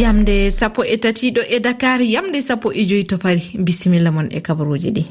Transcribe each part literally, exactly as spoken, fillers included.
Yamde sappo e tati ɗo e Dakar, yamde sappo e joyi to Paris. Bisimilla mon e kabaruuji ɗi.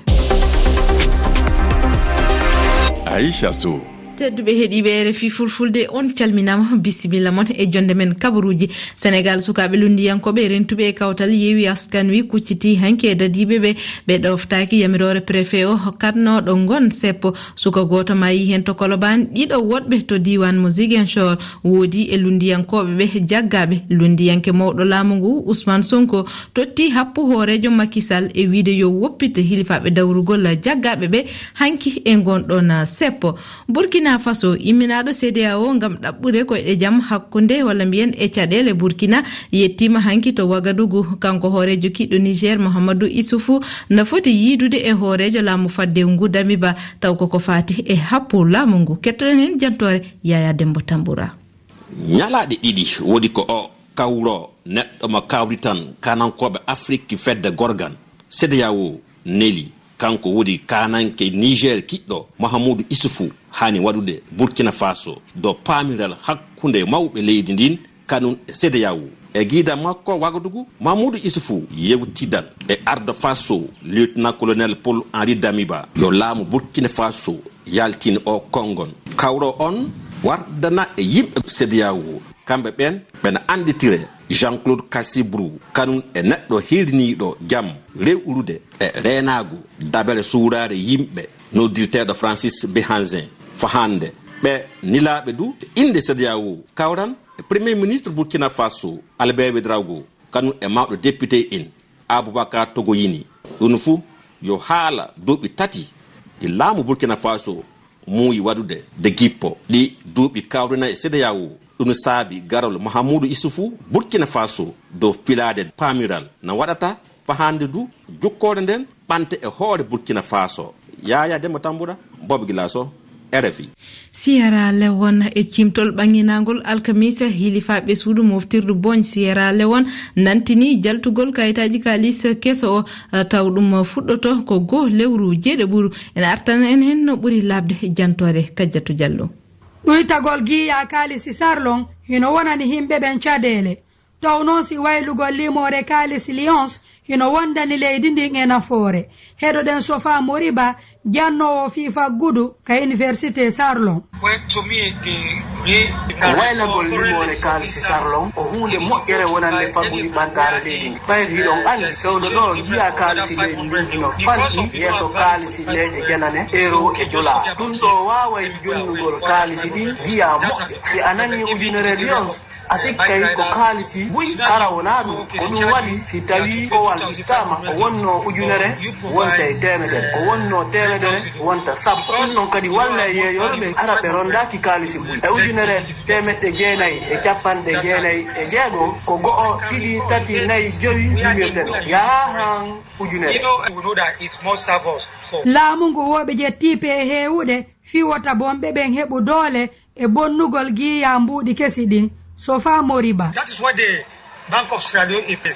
Aisha Sow. Tedduɓe heɗiiɓe R F I Fulfulde, on calminaama, bisimilla mon e jonde men kabaruuji. Senegal, sukaaɓe lunndiyankooɓe rentuɓe e kawtal Yewwi Askan Wi kucciti hanki e dadiiɓe ɓe, ɓe ɗoftaaki yamiroore préfet o hokkatnooɗo ngon seppo. Suka gooto maayi heen to Kolobaan, ɗiɗo woɗɓe to diiwaan mo Ziguinchor. Woodi e lunndiyankooɓe ɓe jaggaaɓe. Lunndiyanke mawɗo laamu ngu, Ousmane Sonko, totti happu hooreejo Macky Sall e wiide yo woppite hilifaaɓe dawrugol jaggaaɓe ɓe hanki e ngon ɗon seppo. Burkina Faso, imminaaɗo C D A O ngam ɗaɓɓude koyɗe jam hakkunde, walla mbiyen e caɗeele Burkina, yettiima hanki to Wagadugu. Kanko hooreejo kiɗɗo Niger, Mahamadou Issoufou, na foti yiidude e hooreejo laamu fadde ngu, Damiba, taw koko faati e happu laamu ngu. Kettoɗen heen jantoore Yaya Dembo Tambura. Ñalaaɗe ɗiɗi woodi ko o kawro neɗɗo mo kawritan kanankooɓe Afrik fedde gorgan. C D A O neli kanko woodi kananke Niger kiɗɗo Mahamudu Isufu haani waɗude Burkina Faso dow paamiral hakkunde mawɓe leydi ndin kanun e C D A O. E giida makko Wagadugu, Mahamudu Isufu yewtidan e ardo Faso, Lieutenant-colonel Paul Henri Damiba, yo laamu Burkina Faso yaltin o kongon. Kawro on wardana e yimɓe C D A O. Kamɓe ɓen ɓena annditire Jean-Claude Cassibrou, kanun e neɗɗo hirniiɗo jam, rewrude e reenaagu dabere suuraare yimɓe, noddirteeɗo Francis Behanzin. Fahande ɓe nilaaɓe du, innde C D A O kawran e Premier Ministre Burkina Faso, Albert Ouedraogo, kanun e mawɗo député en, Aboubacar Togoyini. Ɗun fu yo haala duuɓi tati ɗi laamu Burkina Faso muuyi waɗude de gippo. Ɗi duuɓi kawrina e C D A O. Ɗun saabi garol Mahamudu Isufu Burkina Faso dow filaade paamiral na waɗata fahande du jukkoore nden ɓante e hoore Burkina Faso. Yaya Demba Tambura, Bob Gilaso, R F I. Sierra Leone, e cimtol ɓanginangol alkamisa, hilifaaɓe suudu moftirdu Boñ Sierra Leone nantini jaltugol kayitaaji kaalis keso o, taw ɗum fuɗɗoto ko goo lewru jeeɗiɓuru. Ene artana en heen no ɓuri laaɓde jantoore Kajjatu Jallo. Ɗuytagol giya kaalisi Sarlon hino wonani himɓe ɓen caɗeele. Taw noon si waylugol limoore kaalisi Lions hino wondani leydi ndin e nafoore. Heɗoɗen Sofa Moriba, jannoowo fii faggudu ka Université Sarlon. Ko waylagol limoore kaalisi Sarlon ko huunde moƴƴere wonande faggudu ɓantaare leydi ndi. Ɓayri hiɗon anndi, fewndo ɗoo, giya kaalisi leydi ndin hino fanɗi yeeso kaalisi leyɗe janane, euro e dollar. Ɗum ɗoo waaway jonnugol kaalisi ɗin giya moƴƴo. Si a nanii ujunere Lions, a sikkay ko kaalisi buy, hara wonaa ɗum. Ko ɗum waɗi, si tawii kowal ittaama, ko wonnoo ujunere, wonta e teemedere. Ko wonnoo teemedere, wonta sappo. Ɗum ɗon kadi wallay yeeyooɓe ɓen, hara ɓe ronndaaki kaalisi buy. E ujunere teemeɗɗe jeenay e cappanɗe jeenay e jeego, ko go'o, ɗiɗi, tati, nayi, jowi limirten. Yahaa han ujunere. Laamu ngu wooɓe je tiipe e heewuɗe fii wota bonɓe ɓen heɓu doole e bonnugol giya mbuuɗi kesi ɗin. Sofa Moriba.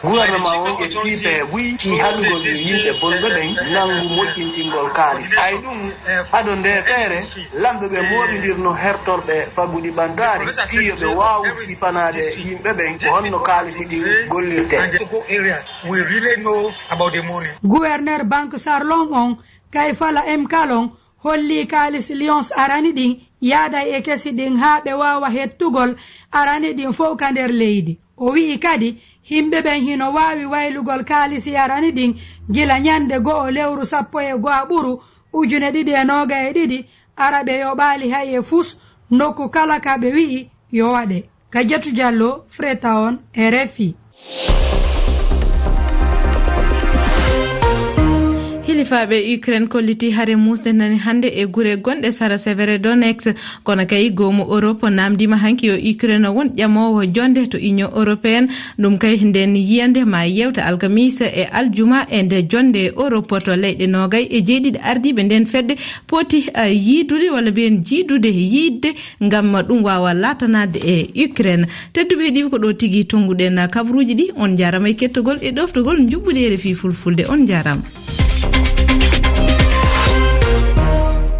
Gouvernement on e tiipe buy fii haɗugol e yimɓe bonɓe ɓen nanngu moƴƴintingol kaalis. Hay ɗum, ado ndee feere, lamɓe ɓe mooɓindirno hertorɓe faggudu ɓantaare fii yo ɓe waawu sifanaade yimɓe ɓen ko honno kaalisi ɗin gollirtee. Gouverneur Banque Sarlon on, Kayfala M Kalon, holli kaalisi Lions arani ɗin yaaday e kesi ɗin haa ɓe waawa hettugol arani ɗin fow ka nder leydi. O wi'i kadi, himɓe ɓen hino waawi waylugol kaalisi arani ɗin gila ñande go'o lewru sappo e go'aɓuru ujune ɗiɗi e noogay e ɗiɗi, ara ɓe yoɓaali hay e fus nokku kala ka ɓe wi'i yo waɗe. Kajatu Jallo, Freetown, R F I. Hilifaaɓe Ukraine kollitii hare muusde nani hannde e gure gonɗe sara Severodonetsk. Kono kay, goomu Europe naamndiima hanki yo Ukraine won ƴamoowo jonnde to Union Européenne. Ɗum kay, nden yiyannde ma yewta alkamiisa e aljuma e nde jonnde Europe to leyɗe noogay e jeeɗiɗi ardiiɓe nden fedde poti, eh, yiidude walla mbiyen jiidude yiidde ngam ɗum waawa laatanaade e Ukraine. Tedduɓe heɗiiɓe, ko ɗo tigi tonnguɗen kabaruuji ɗi. On njaaraama e kettogol e ɗoftogol njuɓɓudi R F I Fulfulde. On njaaraama.